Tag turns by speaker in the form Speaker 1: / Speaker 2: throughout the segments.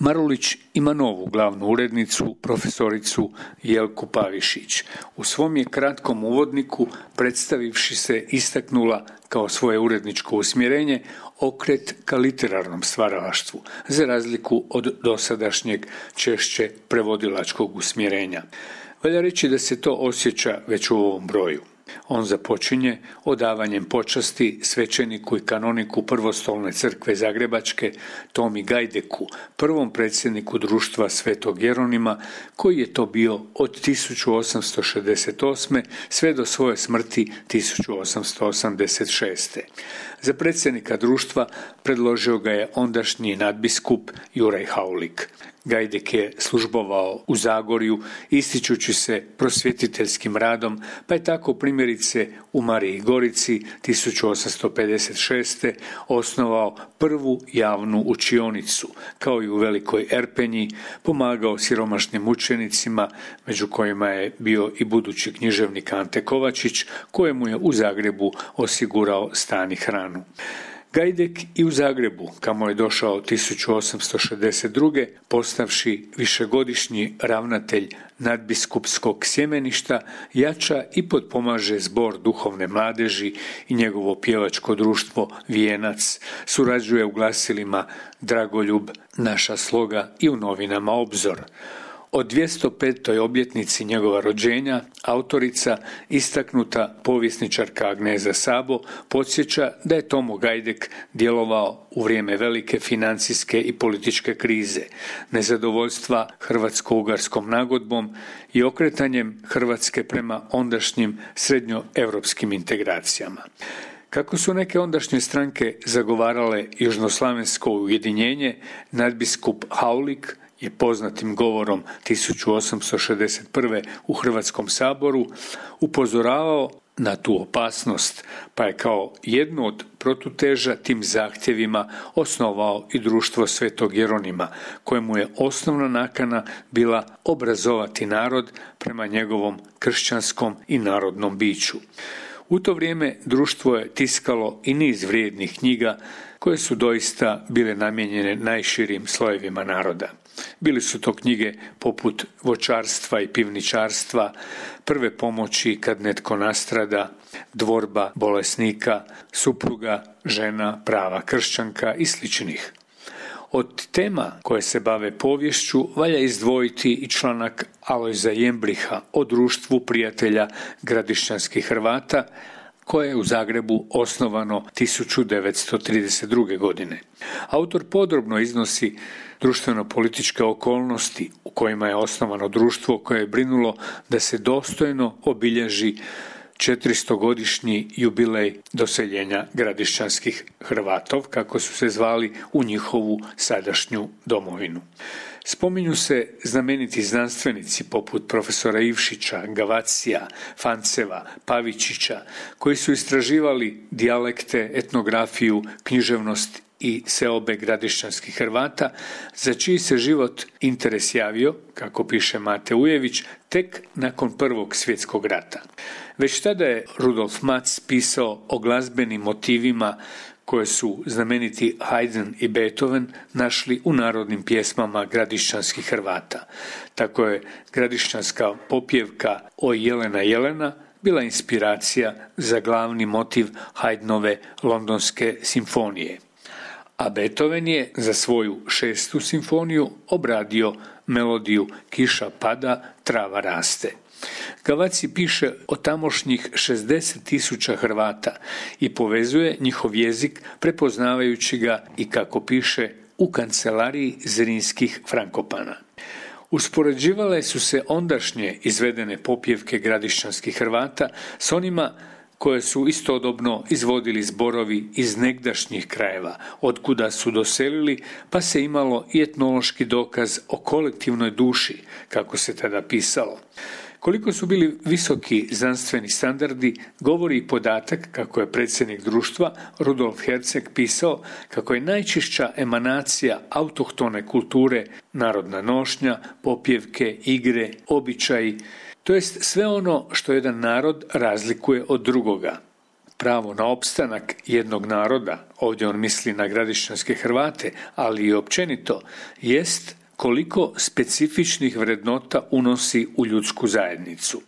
Speaker 1: Marulić ima novu glavnu urednicu, profesoricu Jelku Pavišić. U svom je kratkom uvodniku, predstavivši se, istaknula kao svoje uredničko usmjerenje okret ka literarnom stvaralaštvu, za razliku od dosadašnjeg češće prevodilačkog usmjerenja. Valja reći da se to osjeća već u ovom broju. On započinje odavanjem počasti svećeniku i kanoniku Prvostolne crkve Zagrebačke Tomi Gajdeku, prvom predsjedniku društva Svetog Jeronima, koji je to bio od 1868. sve do svoje smrti 1886. Za predsjednika društva predložio ga je ondašnji nadbiskup Juraj Haulik. Gajdek je službovao u Zagorju, ističući se prosvjetiteljskim radom, pa je tako primjerice u Mariji Gorici 1856. osnovao prvu javnu učionicu, kao i u Velikoj Erpenji, pomagao siromašnim učenicima, među kojima je bio i budući književnik Ante Kovačić, kojemu je u Zagrebu osigurao stan i hranu. Gajdek i u Zagrebu, kamo je došao 1862. postavši višegodišnji ravnatelj nadbiskupskog sjemeništa, jača i potpomaže zbor duhovne mladeži i njegovo pjevačko društvo Vijenac, surađuje u glasilima Dragoljub, Naša sloga i u novinama Obzor. O 205. obljetnici njegova rođenja autorica, istaknuta povjesničarka Agneza Sabo, podsjeća da je Tomo Gajdek djelovao u vrijeme velike financijske i političke krize, nezadovoljstva hrvatsko-ugarskom nagodbom i okretanjem Hrvatske prema ondašnjim srednjoevropskim integracijama. Kako su neke ondašnje stranke zagovarale južnoslavensko ujedinjenje, nadbiskup Haulik je poznatim govorom 1861. u Hrvatskom saboru upozoravao na tu opasnost, pa je kao jednu od protuteža tim zahtjevima osnovao i društvo Svetog Jeronima, kojemu je osnovna nakana bila obrazovati narod prema njegovom kršćanskom i narodnom biću. U to vrijeme društvo je tiskalo i niz vrijednih knjiga koje su doista bile namijenjene najširim slojevima naroda. Bili su to knjige poput voćarstva i pivničarstva, prve pomoći kad netko nastrada, dvorba bolesnika, supruga, žena, prava kršćanka i sličnih. Od tema koje se bave poviješću valja izdvojiti i članak Alojza Jembriha o društvu prijatelja gradišćanskih Hrvata, koje je u Zagrebu osnovano 1932. godine. Autor podrobno iznosi društveno-političke okolnosti u kojima je osnovano društvo koje je brinulo da se dostojno obilježi 400-godišnji jubilej doseljenja gradišćanskih Hrvatov, kako su se zvali, u njihovu sadašnju domovinu. Spominju se znameniti znanstvenici poput profesora Ivšića, Gavacija, Fanceva, Pavičića, koji su istraživali dijalekte, etnografiju, književnost i seobe gradišćanskih Hrvata, za čiji se život interes javio, kako piše Mate Ujević, tek nakon Prvog svjetskog rata. Već tada je Rudolf Matz pisao o glazbenim motivima koje su znameniti Haydn i Beethoven našli u narodnim pjesmama gradišćanskih Hrvata. Tako je gradišćanska popjevka O Jelena Jelena bila inspiracija za glavni motiv Haydnove Londonske simfonije. A Beethoven je za svoju 6. simfoniju obradio melodiju Kiša pada, trava raste. Gavaci piše o tamošnjih 60.000 Hrvata i povezuje njihov jezik prepoznavajući ga i, kako piše, u kancelariji Zrinskih Frankopana. Uspoređivale su se ondašnje izvedene popjevke gradišćanskih Hrvata s onima koje su istodobno izvodili zborovi iz negdašnjih krajeva, otkuda su doselili, pa se imalo i etnološki dokaz o kolektivnoj duši, kako se tada pisalo. Koliko su bili visoki znanstveni standardi, govori i podatak kako je predsjednik društva Rudolf Herceg pisao kako je najčišća emanacija autohtone kulture narodna nošnja, popjevke, igre, običaji, to jest sve ono što jedan narod razlikuje od drugoga. Pravo na opstanak jednog naroda, ovdje on misli na gradišćanske Hrvate, ali i općenito, jest koliko specifičnih vrednota unosi u ljudsku zajednicu.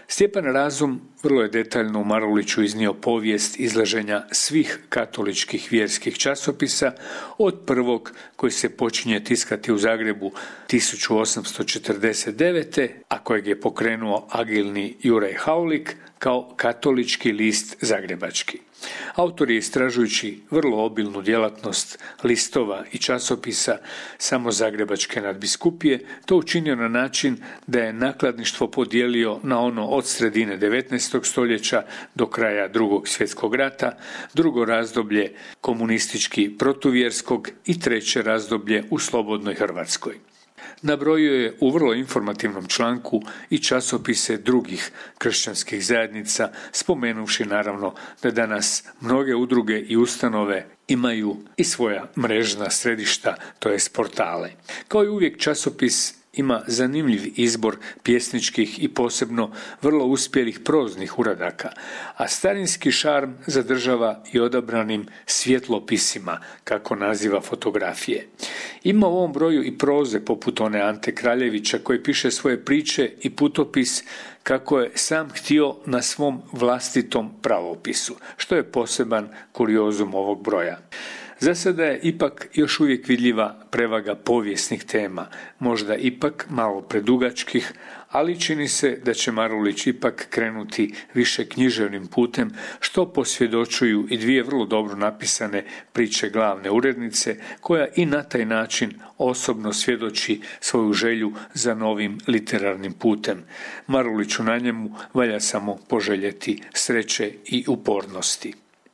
Speaker 1: Stjepan Razum vrlo je detaljno u Maruliću iznio povijest izlaženja svih katoličkih vjerskih časopisa, od prvog koji se počinje tiskati u Zagrebu 1849. a kojeg je pokrenuo agilni Juraj Haulik kao katolički list zagrebački. Autor je, istražujući vrlo obilnu djelatnost listova i časopisa samo Zagrebačke nadbiskupije, to učinio na način da je nakladništvo podijelio na ono od sredine 19. stoljeća do kraja Drugog svjetskog rata, drugo razdoblje komunistički protuvjerskog i treće razdoblje u slobodnoj Hrvatskoj. Nabrojio je u vrlo informativnom članku i časopise drugih kršćanskih zajednica, spomenuvši naravno da danas mnoge udruge i ustanove imaju i svoja mrežna središta, to jest portale. Kao i uvijek, časopis ima zanimljiv izbor pjesničkih i posebno vrlo uspjelih proznih uradaka, a starinski šarm zadržava i odabranim svjetlopisima, kako naziva fotografije. Ima u ovom broju i proze poput one Ante Kraljevića koji piše svoje priče i putopis kako je sam htio na svom vlastitom pravopisu, što je poseban kuriozum ovog broja. Za sada je ipak još uvijek vidljiva prevaga povijesnih tema, možda ipak malo predugačkih, ali čini se da će Marulić ipak krenuti više književnim putem, što posvjedočuju i dvije vrlo dobro napisane priče glavne urednice, koja i na taj način osobno svjedoči svoju želju za novim literarnim putem. Maruliću na njemu valja samo poželjeti sreće i upornosti.